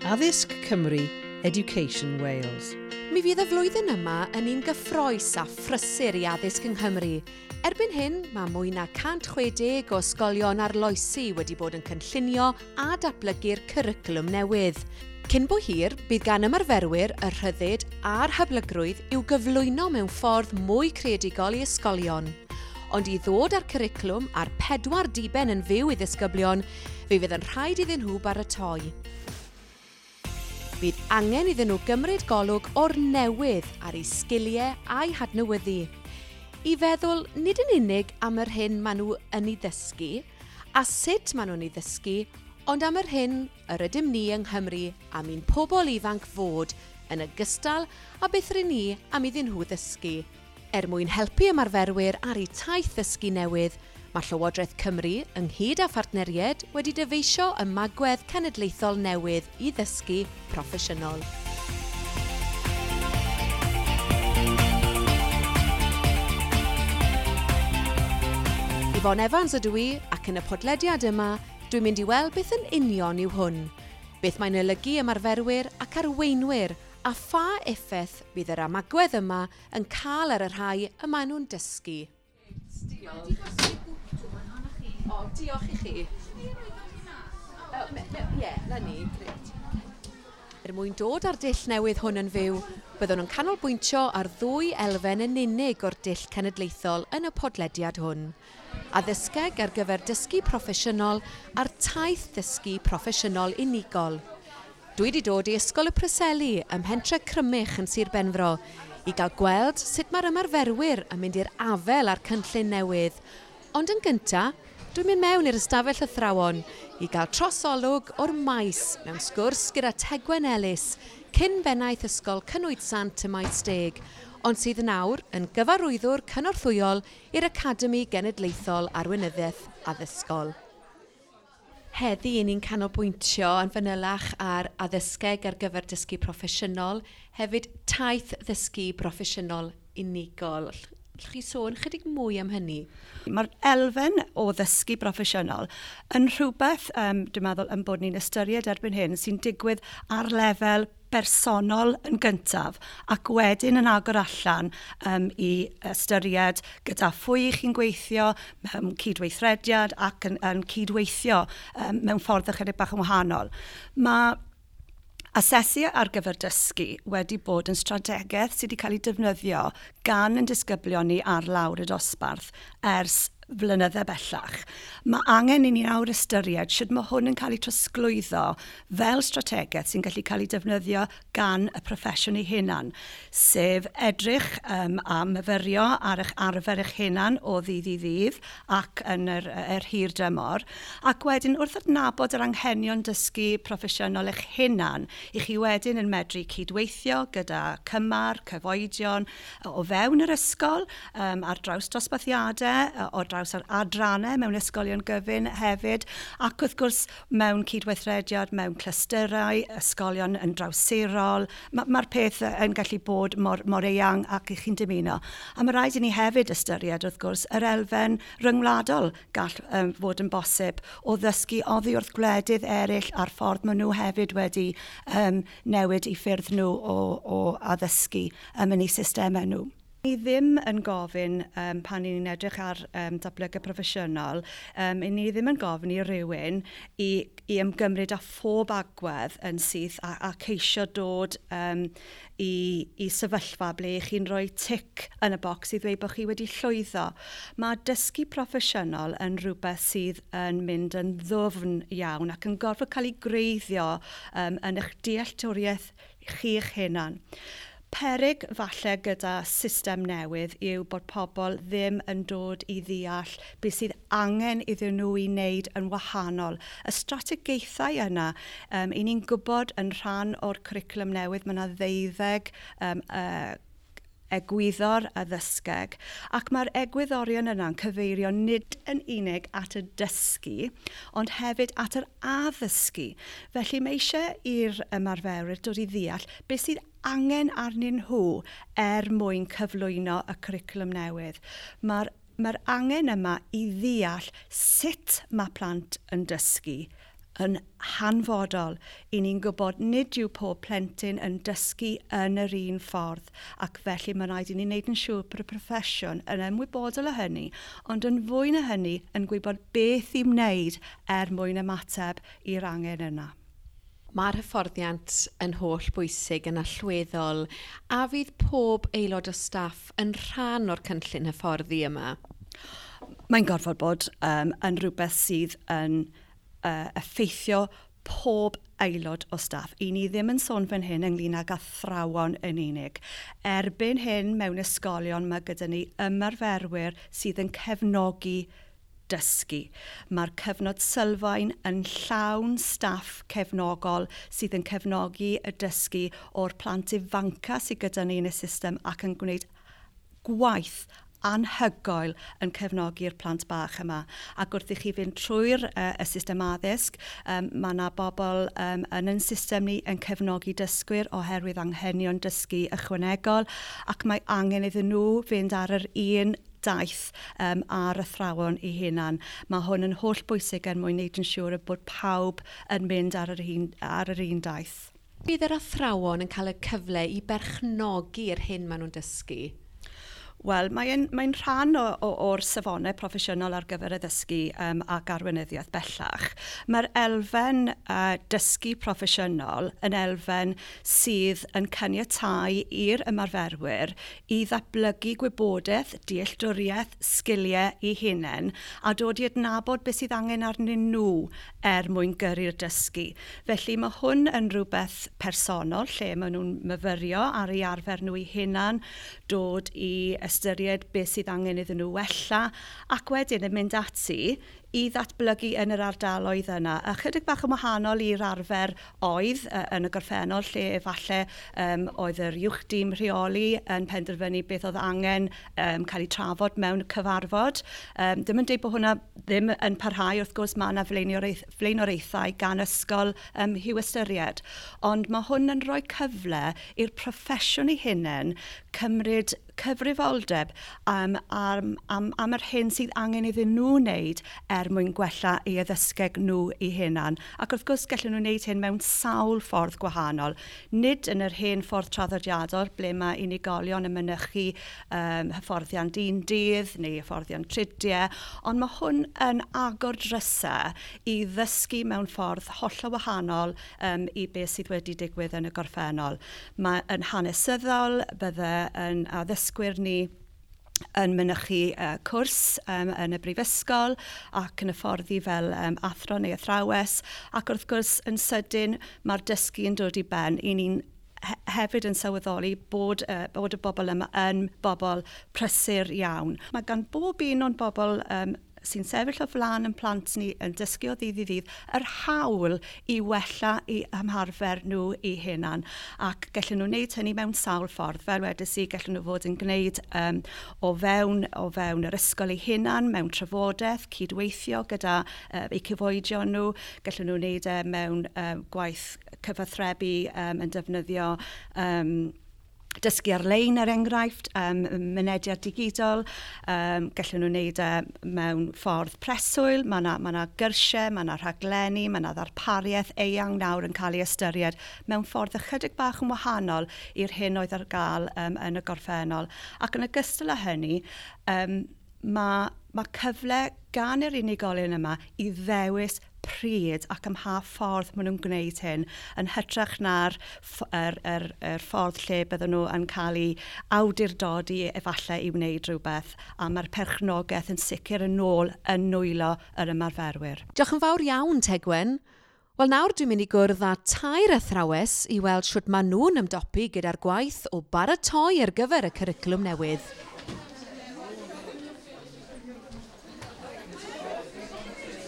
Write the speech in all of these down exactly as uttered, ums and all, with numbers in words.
Addysg Cymru, Education Wales. Mi fydd y flwyddyn yma yn un gyffrous a phrysur i addysg yng Nghymru. Erbyn hyn, mae mwy na cant chwe deg o ysgolion arloesi wedi bod yn cynllunio a datblygu'r cwricwlwm newydd. Cyn bo hir, bydd gan ymarferwyr y rhyddid a'r hyblygrwydd i'w gyflwyno mewn ffordd mwy creadigol i ysgolion. Ond i ddod â'r cwricwlwm a'r pedwar diben yn fyw i ddisgyblion, fe fydd yn rhaid iddyn nhw baratoi. Bydd angen iddyn nhw gymryd golwg o'r newydd ar eu sgiliau a'u hadnewyddu. I feddwl nid yn unig am yr hyn maen nhw yn ei ddysgu a sut maen nhw'n ei ddysgu, ond am yr hyn yr ydym ni yng Nghymru am i'n pobl ifanc fod yn ogystal â beth rŷn ni am iddyn nhw ddysgu. Er mwyn helpu ymarferwyr ar eu taith ddysgu newydd, mae Llywodraeth Cymru, ynghyd â phartneriaid, wedi dyfeisio ymagwedd cenedlaethol newydd i ddysgu proffesiynol. Yvonne Evans ydw i, ac yn y podlediad yma, dwi'n mynd i weld beth yn union yw hwn. Beth mae'n olygu ymarferwyr ac arweinwyr, a pha effaith bydd yr ymagwedd yma yn cael ar y rhai y maen nhw'n dysgu. Diolch. O, diolch i chi. Ie, na ni, grêt. Er mwyn dod â'r dull newydd hwn yn fyw, byddwn yn canolbwyntio ar ddwy elfen yn unig o'r dull cenedlaethol yn y podlediad hwn. Addysgeg ar gyfer dysgu proffesiynol a'r taith ddysgu proffesiynol unigol. Dwi wedi dod i Ysgol y Preseli ym Mhentre Crymych yn Sir Benfro i gael gweld sut mae'r ymarferwyr yn mynd i'r afael â'r cynllun newydd. Ond yn gyntaf, dwi'n mynd mewn i'r ystafell athrawon i gael trosolwg o'r maes mewn sgwrs gyda Tegwen Ellis, cyn bennaeth Ysgol Cynwyd Sant ym Maesteg, ond sydd nawr yn gyfarwyddwr cynorthwyol i'r Academi Genedlaethol Arweinyddiaeth Addysgol. Heddi, ni'n canolbwyntio yn fanylach ar addysgeg ar gyfer dysgu proffesiynol, hefyd taith ddysgu broffesiynol unigol. Allwch chi sôn chydig mwy am hynny? Mae'r elfen o ddysgu broffesiynol yn rhywbeth, um, dwi'n meddwl, yn bod ni'n ystyried erbyn hyn, sy'n digwydd ar lefel bersonol yn gyntaf ac wedyn yn agor allan um, i ystyried gyda phwy chi'n gweithio mewn cydweithrediad ac yn, yn cydweithio um, mewn ffordd ychydig bach yn wahanol. Mae asesu ar gyfer dysgu wedi bod yn strategaeth sydd wedi cael ei defnyddio gan yn disgyblion ni ar lawr y dosbarth ers flynydde bellach. Mae angen i ni nawr ystyried sut mae hwn yn cael ei trosglwyddo fel strategaeth sy'n gallu cael ei defnyddio gan y proffesiwn ei hunan, sef edrych um, a myfyrio ar eich arfer eich hunan o ddydd i ddydd ac yn yr, yr hir dymor, ac wedyn wrth adnabod yr anghenion dysgu proffesiynol eich hunan, i chi wedyn yn medru cydweithio gyda cymar, cyfoedion o fewn yr ysgol, um, ar draws dosbarthiadau, o draws ar adrannau mewn ysgolion gyfun hefyd, ac wrth gwrs mewn cydweithrediad, mewn clystyrau, ysgolion yn drawsirol. Mae'r ma peth yn gallu bod mor, mor eang ac i chi'n dymuno. A mae rhaid i ni hefyd ystyried, wrth gwrs, yr elfen ryngwladol gall um, fod yn bosib o ddysgu oddi wrth gwledydd eraill a'r ffordd maen nhw hefyd wedi um, newid i ffyrdd nhw o, o addysgu um, yn eu systemau nhw. Ni ddim yn gofyn um, pan ni'n edrych ar um, datblygu proffesiynol, um, ni ddim yn gofyn i rywun i, i ymgymryd â phob agwedd yn syth a, a ceisio dod um, i, i sefyllfa ble chi'n rhoi tic yn y bocs i ddweud bod chi wedi llwyddo. Mae dysgu proffesiynol yn rhywbeth sydd yn mynd yn ddwfn iawn ac yn gorfod cael ei greiddio um, yn eich dealltwriaeth chi'ch hunan. Peryg falle gyda system newydd yw bod pobl ddim yn dod i ddeall beth sydd angen iddyn nhw i wneud yn wahanol. Y strategaethau yna, um, i ni'n gwybod yn rhan o'r cwricwlwm newydd, mae yna ddeuddeg um, uh, egwyddor addysgeg, ac mae'r egwyddorion yna'n cyfeirio nid yn unig at y dysgu, ond hefyd at yr addysgu. Felly mae eisiau i'r ymarferwyr dod i ddeall beth sydd angen arnyn nhw er mwyn cyflwyno y cwricwlwm newydd. Mae'r mae'r angen yma i ddeall sut mae plant yn dysgu yn hanfodol. I ni'n gwybod nid yw pob plentyn yn dysgu yn yr un ffordd, ac felly mae'n rhaid i ni wneud yn siŵr bod y proffesiwn yn ymwybodol o hynny, ond yn fwy na hynny yn gwybod beth i wneud er mwyn ymateb i'r angen yna. Mae'r hyfforddiant yn holl bwysig yn allweddol, a fydd pob aelod o staff yn rhan o'r cynllun hyfforddi yma? Mae'n gorfod bod um, yn rhywbeth sydd yn uh, effeithio pob aelod o staff. I ni ddim yn sôn fan hyn ynglyn ag athrawon yn unig. Erbyn hyn mewn ysgolion mae gyda ni ymarferwyr sydd yn cefnogi dysgu. Mae'r cyfnod sylfaen yn llawn staff cefnogol sydd yn cefnogi y dysgu o'r plant ifanca sydd gyda ni yn y system ac yn gwneud gwaith anhygoel yn cefnogi'r plant bach yma. Ac wrth i chi fynd trwy'r uh, y system addysg, um, mae yna bobl um, yn ein system ni yn cefnogi dysgwyr oherwydd anghenion dysgu ychwanegol, ac mae angen iddyn nhw fynd ar yr un daith um, ar athrawon eu hunan. Mae hwn yn holl bwysig er mwyn wneud yn siŵr bod pawb yn mynd ar yr un, ar yr un daith. Bydd yr athrawon yn cael y cyfle i berchnogi'r hyn maen nhw'n dysgu? Wel, mae'n mae rhan o, o, o'r safonau proffesiynol ar gyfer addysgu um, ac arweinyddiaeth bellach. Mae'r elfen uh, dysgu proffesiynol yn elfen sydd yn caniatáu i'r ymarferwyr i ddatblygu gwybodaeth, dealltwriaeth, sgiliau eu hunain a dod i adnabod beth sydd angen arnyn nhw er mwyn gyrru'r dysgu. Felly mae hwn yn rhywbeth personol lle maen nhw'n myfyrio ar eu arfer nhw eu hunain, dod i ystyried beth sydd angen iddyn nhw wella, ac wedyn yn mynd ati i ddatblygu yn yr ardaloedd yna. A chydig bach yn wahanol i'r arfer oedd uh, yn y gorffennol, lle efallai um, oedd yr uwch dîm rheoli yn penderfynu beth oedd angen um, cael ei trafod mewn cyfarfod. Um, ddim yn dweud bod hwnna ddim yn parhau, wrth gwrs mae yna flaenoriaethau gan ysgol um, i'w ystyried. Ond mae hwn yn rhoi cyfle i'r proffesiwn ei hunain cymryd cyfrifoldeb um, am, am, am yr hyn sydd angen iddyn nhw wneud er mwyn gwella eu addysgeg nhw eu hunain. Ac wrth gwrs gallen nhw wneud hyn mewn sawl ffordd gwahanol. Nid yn yr hen ffordd traddodiadol ble mae unigolion yn mynychu um, hyfforddiant un dydd neu hyfforddiant tridiau, ond mae hwn yn agor drysau i ddysgu mewn ffordd hollol wahanol um, i beth sydd wedi digwydd yn y gorffennol. Mae yn hanesyddol, bydde yn addysgwyr ni yn mynychu uh, cwrs um, yn y brifysgol ac yn hyfforddi fel um, athro neu athrawes, ac wrth gwrs yn sydyn mae'r dysgu yn dod i ben. I ni'n hefyd yn sylweddoli bod, uh, bod y bobl yma yn bobl prysur iawn. Mae gan bob un o'n bobl um, sy'n sefyll o flaen yn plant ni yn dysgu o ddydd i ddydd, yr hawl i wella i ymarfer nhw eu hunain. Ac gallen nhw wneud hynny mewn sawl ffordd. Fel wedes i, gallen nhw fod yn gwneud um, o, fewn, o fewn yr ysgol eu hunain, mewn trafodaeth, cydweithio gyda uh, eu cyfoedion nhw. Gallen nhw wneud e mewn um, gwaith cyfathrebu um, yn defnyddio um, dysgu ar-lein er enghraifft, um, mynediad digidol, um, gallen nhw wneud e mewn ffordd preswyl, mae yna ma na gyrsiau, mae yna rhaglenni, mae yna ddarpariaeth eang nawr yn cael ei ystyried mewn ffordd ychydig bach yn wahanol i'r hyn oedd ar gael um, yn y gorffennol. Ac yn ogystal â hynny, um, mae ma cyfle gan yr unigolyn yma i ddewis pryd ac ym mha ffordd maen nhw'n gwneud hyn, yn hytrach na'r er, er, er ffordd lle bydden nhw yn cael eu awdurdodi efallai i wneud rhywbeth, a mae'r perchnogaeth yn sicr yn ôl yn nwylo yr ymarferwyr. Diolch yn fawr iawn, Tegwen. Wel, nawr dwi'n mynd i gwrdd â tair athrawes i weld sut maen nhw'n ymdopi gyda'r gwaith o baratoi ar gyfer y cwricwlwm newydd.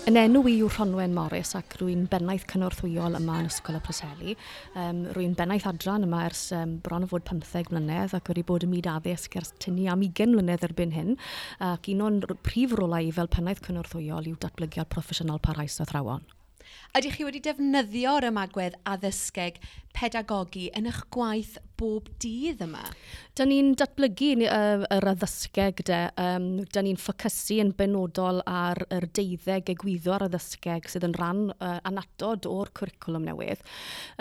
Yn enw i yw Rhonwen Morris ac rwy'n bennaeth cynorthwyol yma yn Ysgol y Preseli. Um, rwy'n bennaeth adran yma ers um, bron o fod pymtheg mlynedd ac wedi bod ym myd addysg ers tynnu am ugain mlynedd erbyn hyn. Ac un o'n prif rolau i fel pennaeth cynorthwyol yw datblygiad proffesiynol parhaus athrawon. Ydych chi wedi defnyddio'r ymagwedd addysgeg pedagogi yn eich gwaith bob dydd yma? Da ni'n datblygu uh, yr addysgeg de. Um, da ni'n ffocysu yn benodol ar yr deuddeg egwyddor addysgeg sydd yn rhan uh, annatod o'r cwricwlwm newydd.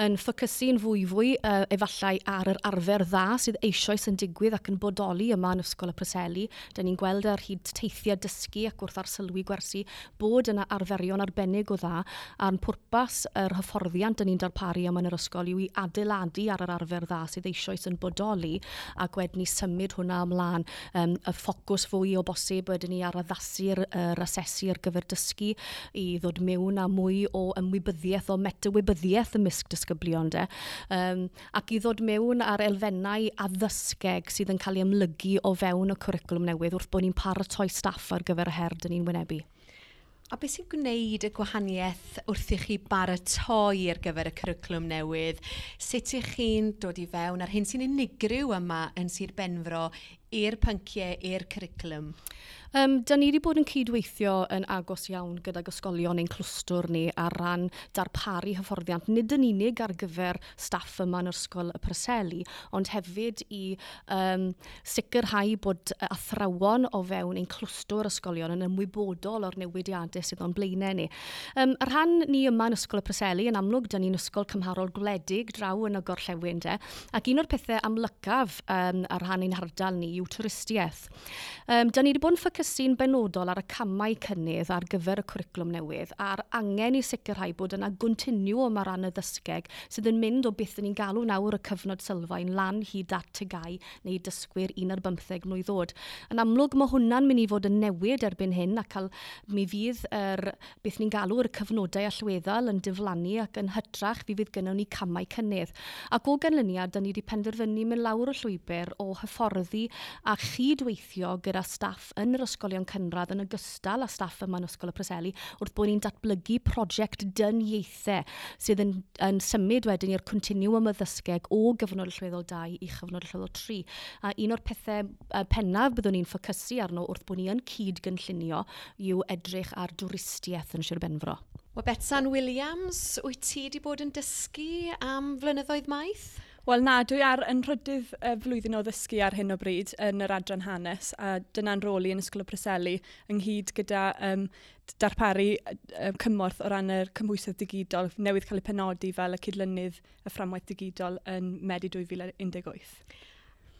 Yn ffocysu'n fwyfwy uh, efallai ar yr arfer dda sydd eisoes yn digwydd ac yn bodoli yma yn Ysgol y Preseli. Da ni'n gweld ar hyd teithiau dysgu ac wrth arsylwi gwersi bod yna arferion arbennig o dda, a'n pwrpas yr hyfforddiant da ni'n darparu yma yn yr ysgol yw i adeiladu ar yr arfer dda sydd eisoes yn bodoli ac wedyn ni symud hwnna ymlaen. Um, y ffocws fwy o bosib wedyn ni ar addasu'r yr asesu ar gyfer dysgu i ddod mewn â mwy o ymwybyddiaeth, o metawybyddiaeth ymysg disgyblion de. Um, ac i ddod mewn ar elfennau addysgeg sydd yn cael ei amlygu o fewn y cwricwlwm newydd wrth bod ni'n paratoi staff ar gyfer y her dyn ni'n wynebu. A beth sy'n gwneud y gwahaniaeth wrth i chi baratoi ar gyfer y cwricwlwm newydd? Sut ych chi'n dod i fewn ar hyn sy'n unigryw yma yn Sir Benfro i'r pynciau, i'r cwricwlwm? Um, da ni wedi bod yn cydweithio yn agos iawn gydag ysgolion ein clwstwr ni ar ran darparu hyfforddiant, nid yn unig ar gyfer staff yma yn Ysgol y Preseli, ond hefyd i um, sicrhau bod athrawon o fewn ein clwstwr ysgolion yn ymwybodol o'r newidiadau sydd o'n blaenau ni. Um, y rhan ni yma yn Ysgol y Preseli, yn amlwg, da ni'n ysgol cymharol gwledig draw yn y gorllewin de, ac un o'r pethau amlycaf um, ar rhan ein hardal ni yw twristiaeth. Um, da ni wedi bod yn ffocysu'n benodol ar y camau cynnydd ar gyfer y cwricwlwm newydd a'r angen i sicrhau bod yna gontinwwm ar ran y ddysgeg sydd yn mynd o beth ni'n galw nawr y cyfnod sylfaen lan hyd at T G A U neu dysgwyr un ar bymtheg mlwydd oed. Yn amlwg mae hwnna'n mynd i fod yn newid erbyn hyn ac cael, mi fydd yr, beth ni'n galw yr cyfnodau allweddol yn diflannu ac yn hytrach fi fydd gynnon ni camau cynnydd. Ac o ganlyniad, da ni wedi penderfynu mynd lawr y llwybr o hyfforddi a chydweithio gyda staff yn yr ysgolion cynradd yn ogystal â staff yma yn Ysgol y Preseli wrth bod ni'n datblygu prosiect dyniaethau sydd yn, yn symud wedyn i'r continuum addysgeg o gyfnod allweddol dau i chyfnod allweddol tri. A un o'r pethau pennaf byddwn ni'n ffocysu arno wrth bod ni yn cyd-gynllunio yw edrych ar dwristiaeth yn Sir Benfro. Wel, Betsan Williams, wyt ti wedi bod yn dysgu am flynyddoedd maith? Wel na, dwi ar yn rhydydd uh, flwyddyn o ddysgu ar hyn o bryd yn yr adran hanes, a dyna'n rôl i yn Ysgol y Preseli ynghyd gyda um, darparu uh, cymorth o ran yr cymhwysedd digidol newydd cael ei penodi fel y cydlynydd y fframwaith digidol yn Medi dwy fil un deg wyth.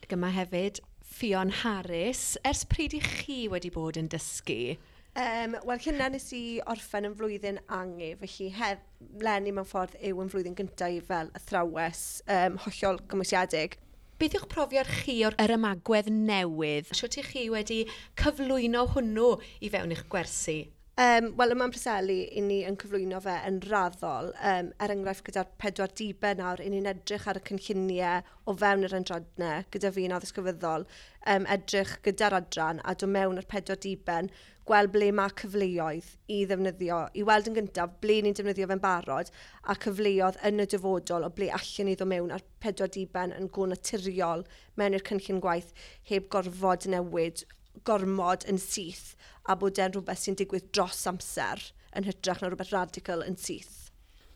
Ac yma hefyd, Ffion Harris, ers pryd i chi wedi bod yn dysgu? Um, Wel, hynna nes i orffen yn flwyddyn angu, felly hef, leni mewn ffordd yw yn flwyddyn gyntaf i fel athrawes um, hollol gymwysiedig. Beth yw'ch profiad chi o'r yr ymagwedd newydd? Sut ych chi wedi cyflwyno hwnnw i fewn i'ch gwersi? Um, Wel, yma'n Preseli, i ni yn cyflwyno fe yn raddol. Um, er enghraifft, gyda'r pedwar diben nawr, i ni'n edrych ar y cynlluniau o fewn yr adrannau, gyda fi'n addysg gyfyddol, um, edrych gyda'r adran a dod mewn ar pedwar diben, gweld ble mae cyfleoedd i ddefnyddio, i weld yn gyntaf ble ni'n defnyddio fe'n barod a cyfleoedd yn y dyfodol o ble allan ni ddod mewn ar pedwar diben yn go naturiol mewn i'r cynllun gwaith heb gorfod newid gormod yn syth a bod e'n rhywbeth sy'n digwydd dros amser yn hytrach na rhywbeth radical yn syth.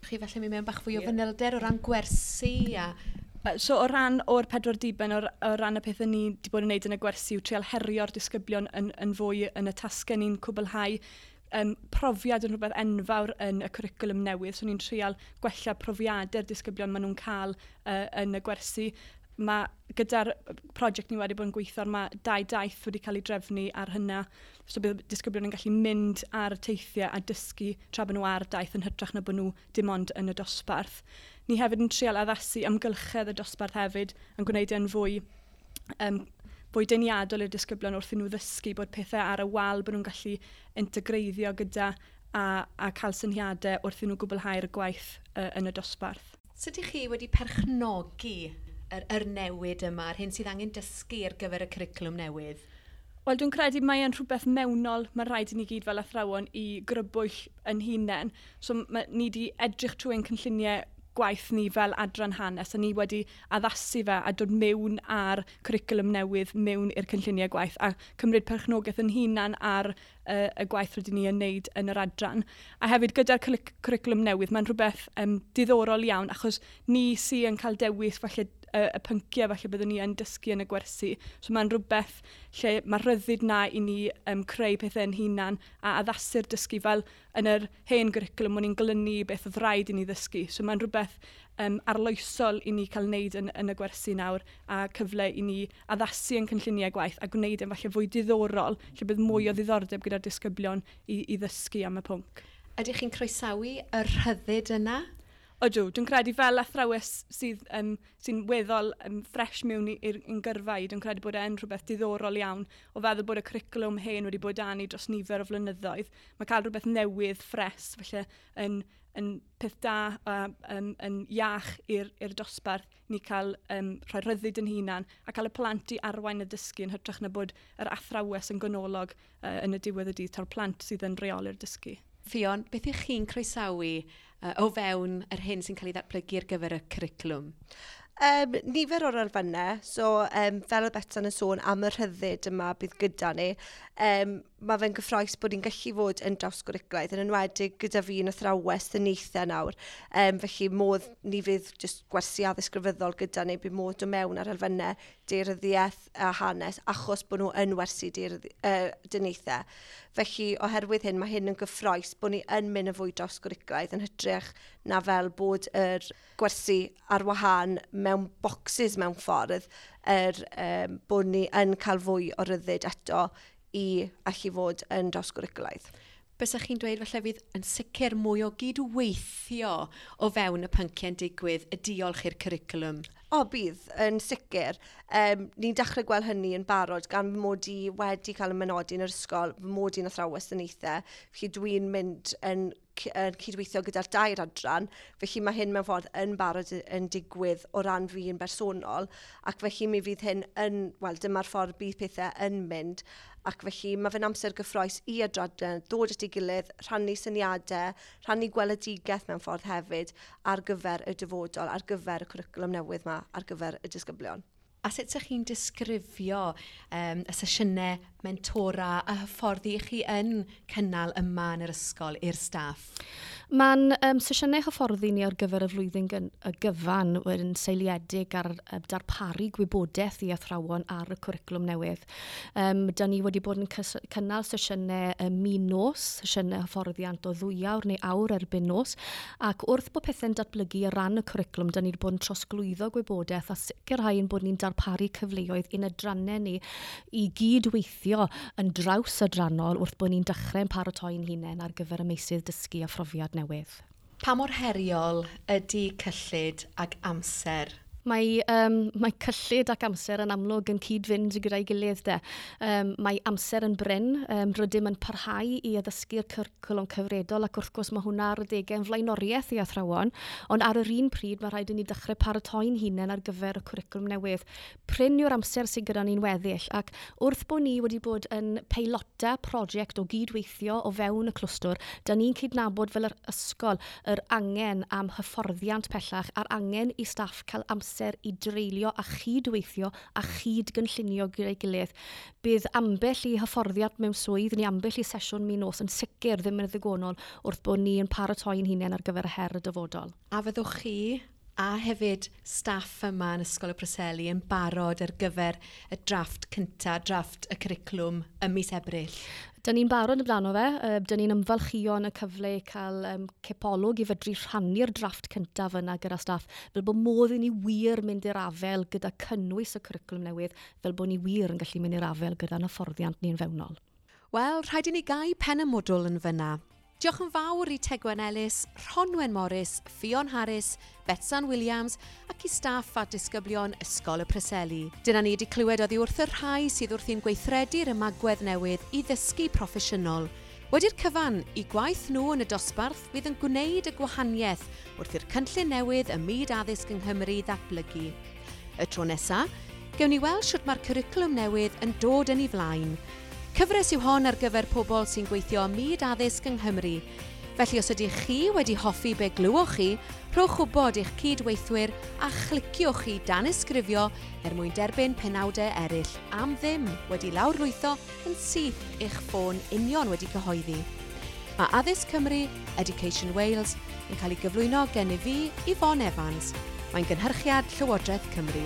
Chi felly mynd mewn bach fwy o fanylder o ran gwersi a... So o ran o'r pedwar diben, o, o ran y pethau ni wedi bod yn gwneud yn y gwersi yw trial herio'r disgyblion yn, yn fwy yn y tasgau ni'n cwblhau. Um, profiad yn rhywbeth enfawr yn y cwricwlwm newydd, so ni'n trial gwella profiadau'r disgyblion maen nhw'n cael uh, yn y gwersi. Mae gyda'r prosiect ni wedi bod yn gweithio ar, mae dau daith wedi cael ei drefnu ar hynna, so bydd disgyblion yn gallu mynd ar y teithiau a dysgu tra bod nhw ar daith yn hytrach na bod nhw dim ond yn y dosbarth. Ni hefyd yn trial addasu amgylchedd y dosbarth hefyd yn gwneud e'n fwy, um, fwy deniadol i'r disgyblion wrth i nhw ddysgu bod pethau ar y wal bod nhw'n gallu integreiddio gyda a, a cael syniadau wrth i nhw gwblhau'r gwaith uh, yn y dosbarth. Sut ydych chi wedi perchnogi yr, yr newid yma, yr hyn sydd angen dysgu ar gyfer y cwricwlwm newydd? Wel, dwi'n credu mae e'n rhywbeth mewnol, mae rhaid i ni gyd fel athrawon i grybwyll yn hunain. So ma, ni wedi edrych trwy ein cynlluniau gwaith ni fel adran hanes, a ni wedi addasu fe a dod mewn ar cwricwlwm newydd mewn i'r cynlluniau gwaith a cymryd perchnogaeth yn hunan ar y, y gwaith rydyn ni yn wneud yn yr adran. A hefyd gyda'r cwricwlwm newydd, mae'n rhywbeth um, diddorol iawn, achos ni sy'n yn cael dewis falle y, y pynciau falle byddwn ni yn dysgu yn y gwersi. So mae'n rhywbeth lle mae rhyddid na i ni um, creu pethau yn hunan a addasu'r dysgu fel yn yr hen gwricwlwm o'n i'n glynu beth oedd rhaid i ni ddysgu. So mae'n rhywbeth um, arloesol i ni cael wneud yn, yn y gwersi nawr a cyfle i ni addasu yn cynlluniau gwaith a gwneud yn falle fwy diddorol lle bydd mwy o ddiddordeb gyda'r disgyblion i, i ddysgu am y pwnc. Ydych chi'n croesawu y rhyddid yna? Ydw, dwi'n credu fel athrawes sydd, um, sy'n weddol um, ffres mewn i'r gyrfa i, dwi'n credu bod e'n rhywbeth diddorol iawn o feddwl bod y cwricwlwm hen wedi bod â ni dros nifer o flynyddoedd. Mae cael rhywbeth newydd, ffres, felly yn, yn peth da a um, yn iach i'r dosbarth ni cael um, rhoi rhyddid yn hunan a cael y plant i arwain y dysgu yn hytrach na bod yr athrawes yn ganolog uh, yn y diwedd y dydd, ta'r plant sydd yn reoli'r dysgu. Ffion, beth ych chi'n croesawu uh, o fewn yr hyn sy'n cael ei ddatblygu ar gyfer y cwricwlwm? Um, nifer o'r elfennau, so um, fel oedd Betsan yn sôn am y rhyddid yma bydd gyda ni, um, mae fe'n gyffrous bod ni'n gallu fod yn drawsgwricwlaidd, yn enwedig gyda fi yn athrawes dyniaethau nawr. Um, felly modd ni fydd just gwersi addysg grefyddol gyda ni, bydd modd dod mewn ar elfennau daearyddiaeth a hanes, achos bod nhw yn wersi uh, dyniaethau. Felly oherwydd hyn, mae hyn yn gyffrous bod ni yn mynd yn fwy drawsgwricwlaidd yn hytrach na fel bod yr gwersi ar wahân mewn boxes mewn ffordd, er, um, bod ni yn cael fwy o ryddid eto i allu fod yn drawsgwricwlaidd. Bysach chi'n dweud falle fydd yn sicr mwy o gydweithio o fewn y pynciau'n digwydd y diolch i'r cwricwlwm? O, bydd, yn sicr. Um, ni'n dechrau gweld hynny yn barod gan fy mod i wedi cael y mynodi yn yr ysgol, fy mod i'n athrawes dyniaethau, felly dwi'n mynd yn, yn cydweithio gyda'r dair adran, felly mae hyn mewn ffordd yn barod yn digwydd o ran fi yn bersonol, ac felly mi fydd hyn yn, wel, dyma'r ffordd bydd pethau yn mynd, ac felly mae fe'n amser gyffrous i adran dod at ei gilydd, rhannu syniadau, rhannu gweledigaeth mewn ffordd hefyd ar gyfer y dyfodol, ar gyfer y cwricwlwm newydd yma, ar gyfer y disgyblion. A sut ydych chi'n disgrifio um, y sesiynau mentora a hyfforddi chi yn cynnal yma yn yr ysgol i'r staff? Mae'n um, sesiynau hyfforddi ni ar gyfer y flwyddyn y gyfan yn seiliedig ar uh, darparu gwybodaeth i athrawon ar y cwricwlwm newydd. Um, da ni wedi bod yn cynnal sesiynau um, min nos, sesiynau hyfforddiant o ddwy awr neu awr erbyn nos, ac wrth bod pethau'n datblygu ar ran y cwricwlwm, da ni wedi bod yn trosglwyddo gwybodaeth a sicrhau ein bod ni'n darparu cyfleoedd i'n adrannau ni i gydweithio yn draws adrannol wrth bod ni'n dechrau'n paratoi'n hunain ar gyfer y meysydd dysgu a phrofiad newydd. Pa mor heriol ydy cyllid ac amser? Mae, um, mae cyllid ac amser yn amlwg yn cyd-fynd gyda'i gilydd de. Um, mae amser yn brin, um, rydym yn parhau i addysgu'r cwricwlwm cyfredol ac wrth gwrs mae hwnna ar adegau yn flaenoriaeth i athrawon, ond ar yr un pryd mae rhaid i ni dechrau paratoi'n hunain ar gyfer y cwricwlwm newydd. Prin yw'r amser sydd gyda ni'n weddill ac wrth bod ni wedi bod yn peilota prosiect o gydweithio o fewn y clwstwr, da ni'n cydnabod fel yr ysgol yr angen am hyfforddiant pellach a'r angen i staff cael amser i dreulio a chydweithio a chyd-gynllunio gyda'i gilydd. Bydd ambell i hyfforddiant mewn swydd neu ambell i sesiwn min nos yn sicr ddim yn ddigonol wrth bod ni yn paratoi'n hunain ar gyfer y her y dyfodol. A fyddwch chi a hefyd staff yma yn Ysgol y Preseli yn barod ar gyfer y drafft cynta, drafft y cwricwlwm ym mis Ebrill? Da ni'n barod amdano fe, da ni'n ymfalchïo yn y cyfle i cael um, cipolwg i fedru rhannu'r drafft cyntaf yna gyda staff, fel bod modd i ni wir mynd i'r afel gyda cynnwys y cwricwlwm newydd, fel bod ni wir yn gallu mynd i'r afel gyda'n hyfforddiant ni'n fewnol. Wel, rhaid i ni gau pen y mwdwl yn fyna. Diolch yn fawr i Tegwen Ellis, Rhonwen Morris, Ffion Harris, Betsan Williams ac i staff a disgyblion Ysgol y Preseli. Dyna ni wedi clywed oddi wrth y rhai sydd wrthi'n gweithredu'r ymagwedd newydd i ddysgu proffesiynol. Wedi'r cyfan, i gwaith nhw yn y dosbarth fydd yn gwneud y gwahaniaeth wrth i'r cynllun newydd ym myd addysg yng Nghymru ddatblygu. Y tro nesaf, gewn ni weld sut mae'r cwricwlwm newydd yn dod yn ei flaen. Cyfres yw hon ar gyfer pobl sy'n gweithio ym myd addysg yng Nghymru. Felly os ydych chi wedi hoffi be glywch chi, rhowch wybod i'ch cydweithwyr a chliciwch chi danysgrifio er mwyn derbyn penawdau eraill am ddim wedi lawrlwytho yn syth i'ch ffôn union wedi cyhoeddi. Mae Addysg Cymru, Education Wales, yn cael ei gyflwyno gennyf fi, Yvonne Evans. Mae'n gynhyrchiad Llywodraeth Cymru.